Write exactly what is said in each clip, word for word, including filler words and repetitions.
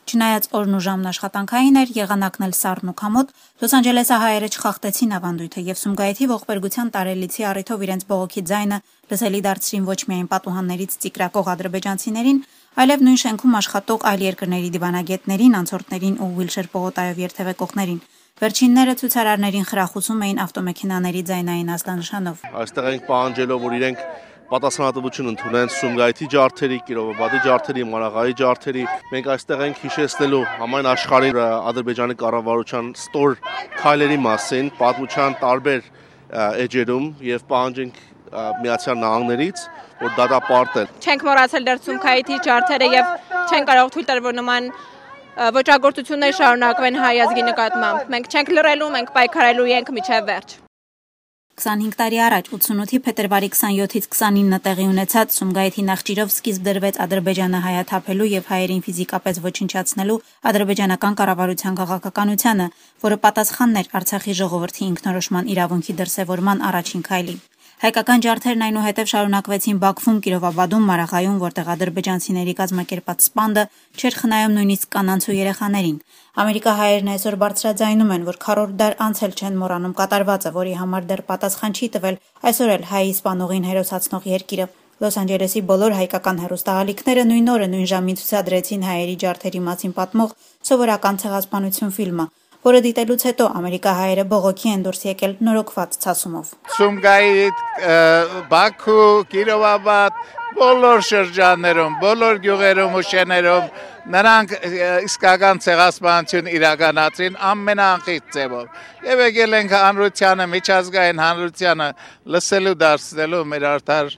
Չնայած օրն ու ժամն աշխատանքային էր, եղանակն էլ սառն ու քամոտ, Լոս Անջելեսի հայերը չխախտեցին ավանդույթը եւ Սումգայիթի ողբերգության տարելիցի առիթով իրենց բողոքի ձայնը լսելի դարձրին ոչ միայն պատուհաններից ծիկրակող ադրբեջանցիներին, այլև նույն շենքում աշխատող այլ երկրների դիվանագետներին, անցորդներին ու ուիլչեր պողոտայով երթևեկողներին։ Վերջինները ցուցարարներին խրախուսում էին ավտոմեքենաների ձայնային ազդանշանով։ Այստեղ ենք պահանջելով, որ իրենք պատասխանատվություն ընդունեն Սումգայիթի ջարդերի, Կիրովաբադի ջարդերի, Մարաղայի ջարդերի։ Մենք այստեղ ենք հիշեցնելու համայն աշխարհին Ադրբեջանի կառավարության ստոր քայլերի մասին, պատմության տարբեր էջերում եւ պահանջենք Միացյալ Նահանգներից, որ դատապարտել։ Չենք մոռացել դեռ Սումգայիթի ջարդերը եւ չենք կարող թույլ տալ, որ նման ոճրագործություններ շարունակվեն հայ ազգի նկատմամբ։ Մենք չենք լռելու, մենք պայքարելու ենք մինչև վերջ։ քսանհինգ տարի առաջ ութսունութի փետրվարի քսանյոթից քսանինը տեղի ունեցած Սումգայիթի նախճիրով սկիզբ դրվեց Ադրբեջանը հայաթափելու եւ հայերին ֆիզիկապես ոչնչացնելու ադրբեջանական կառավարության քաղաքականությանը, որը պատասխանն էր Արցախի ժողովրդի ինքնորոշման իրավունքի դրսևորման առաջին քայլին։ Հայկական ջարդերն այնուհետև շարունակվեցին Բաքվում, Կիրովաբադում, Մարաղայում, որտեղ ադրբեջանցիների կազմակերպած սպանդը չէր խնայում նույնիսկ կանանց ու երեխաներին։ Ամերիկահայերն այսօր բարձրաձայնում են, որ քառորդ դար անց էլ չեն մոռանում կատարվածը, որի համար դեռ պատասխան չի տվել այսօր էլ հայի սպանողին հերոսացնող երկիրը։ Լոս Անջելեսի բոլոր հայկական հեռուստաալիքները նույն օրը նույն ժամին ցուցադրեցին հայերի ջարդերի մասին պատմող սովորական ցեղասպանություն ֆիլմը, որը դիտելուց հետո ամերիկահայերը բողոքի են դուրս եկել նորոգված ցասումով։ Սումգայիթ, Բաքու, Կիրովաբադ, բոլոր շրջաններում, բոլոր գյուղերում ու շեներում նրանք իսկական ցեղասպանություն իրականացրին ամենաանխիտ ձևով։ Եվ եկել ենք հանրությանը, միջազգային հանրությանը լսելու դարձնելու մեր արդար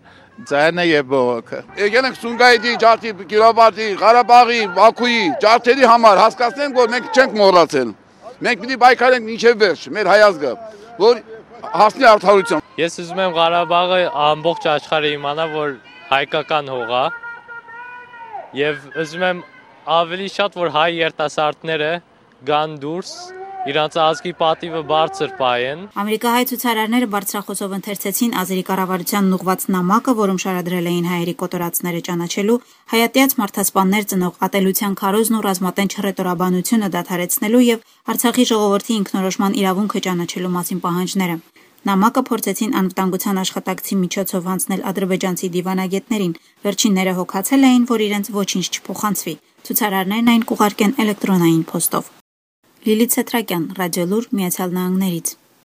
ձայնը եւ բողոքը։ Եկել ենք Սումգայիթի ջարդի, Կիրովաբադի, Ղարաբաղի, Բաքուի ջարդերի համար հասկացնենք, որ մենք չենք մոռացել։ Մենք պիտի պայքարենք մինչև վերջ, մեր հայ ազգը, որ հասնի արդարության։ Ես ուզում եմ Ղարաբաղը ամբողջ աշխարհը իմանա, որ հայկական հող է, եւ ուզում եմ ավելի շատ, որ հայ երիտասարդները գան դուրս, իրանց ազգի պատիվը բարձր պահեն։ Ամերիկահայ ցուցարարները բարձրախոսով ընթերցեցին ազերի կառավարությանն ուղղված նամակը, որում շարադրել էին հայերի կոտորածները ճանաչելու, հայատյաց մարդասպաններ ծնող ատելության քարոզն ու ռազմատենչ հռետորաբանությունը դադարեցնելու եւ Արցախի ժողովրդի ինքնորոշման իրավունքը ճանաչելու մասին պահանջները։ Նամակը փորձեցին անվտանգության աշխատակցի միջոցով հանձնել ադրբեջանցի դիվանագետներին։ Վերջինները հոգացել էին, որ իրենց ոչինչ չփոխանցվի։ Ցուցարարներն այն կուղարկեն էլեկտրոնային փոստով։ Լիլիթ Սեթրակյան, Ռադիոլուր, Միացյալ Նահանգներից։